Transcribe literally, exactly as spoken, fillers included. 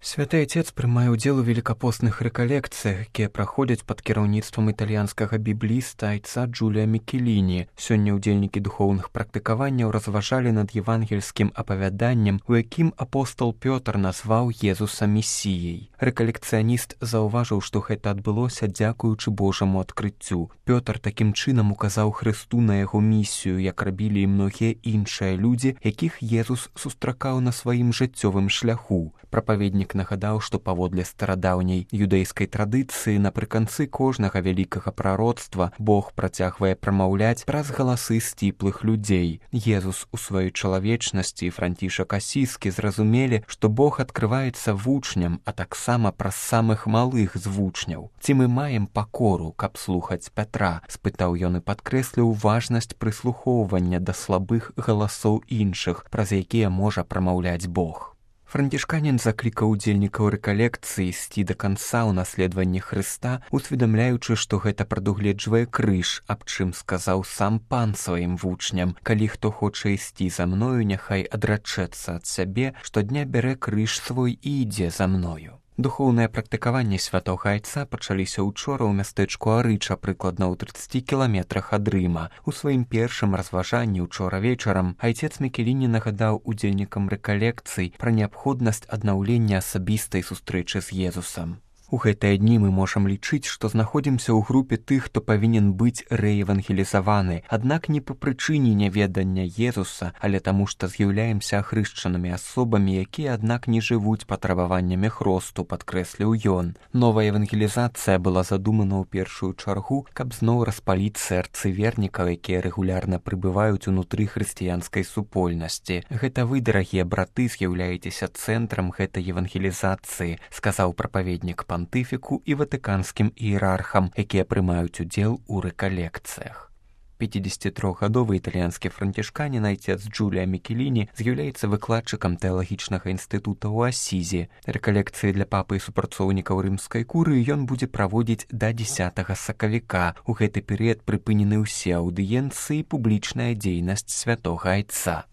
Святы Отец прымае ўдзел у велікапостных рэкалекцыях, якія праходзяць пад кіраўніцтвам італьянскага бібліста айца Джулія Мікеліні. Сёння ўдзельнікі духоўных практыкаванняў разважалі над евангельскім апавяданнем, у якім апостол Пётр назваў Езуса месіяй. Рэкалекцыяніст заўважыў, што гэта адбылося дзякуючы Божаму адкрыццю. Пётр такім чынам указаў Хрысту на яго місію, як рабілі і многія іншыя людзі, якіх Езус сустракаў на сваім жыццёвым шляху. Прапаведнік нагадаў, што паводле старадаўняй юдэйскай традыцыі напрыканцы кожнага вялікага прароцтва Бог працягвае прамаўляць праз галасы сціплых людзей. Езус у сваёй чалавечнасці і Францішак Асіскі зразумелі, што Бог адкрываецца вучням, а таксама праз самых малых з вучняў. Ці мы маем пакору, каб слухаць Пятра? Спытаў ён і падкрэсліў важнасць прыслухоўвання да слабых галасоў іншых, праз якія можа прамаўляць Бог. Францішканін заклікаў удзельнікаў рэкалекцыі ісці да канца ў наследаванні Хрыста, усведамляючы, што гэта прадугледжвае крыж, аб чым сказаў сам Пан сваім вучням: «Калі хто хоча ісці за мною, няхай адрачэцца ад сябе, штодня бярэ крыж свой і ідзе за мною». Духоўнае практыкаванне святога айца пачаліся ўчора ў мястэчку Арыча, прыкладна ў трыццаці кіламетрах ад Рыма. У сваім першым разважанні ўчора вечарам айцец Мікеліні нагадаў удзельнікам рэкалекцый пра неабходнасць аднаўлення асабістай сустрэчы з Езусам. У гэтыя дні мы можам лічыць, што знаходзімся ў групе тых, хто павінен быць рэевангелізаваны, аднак не па прычыне няведання Езуса, але таму, што з'яўляемся ахрышчанымі асобамі, якія, аднак, не жывуць патрабаваннямі хросту, падкрэсліў ён. Новая евангелізацыя была задумана ў першую чаргу, каб зноў распаліць сэрцы вернікаў, якія рэгулярна прыбываюць унутры хрысціянскай супольнасці. Гэта вы, дарагія браты, з'яўляецеся цэнтрам гэтай евангелізацыі, сказаў прапаведнік пантыфіку і ватыканскім іерархам, якія прымаюць удзел у рэкалекцыях. пяцідзесяцітрохгадовы італьянскі францішканін айцец Джулія Мікеліні з'яўляецца выкладчыкам тэалагічнага інстытута ў Асізі. Рэкалекцыі для папы і супрацоўнікаў рымскай курыі ён будзе праводзіць да дзесятага сакавіка. У гэты перыяд прыпынены ўсе аўдыенцыі і публічная дзейнасць святога айца.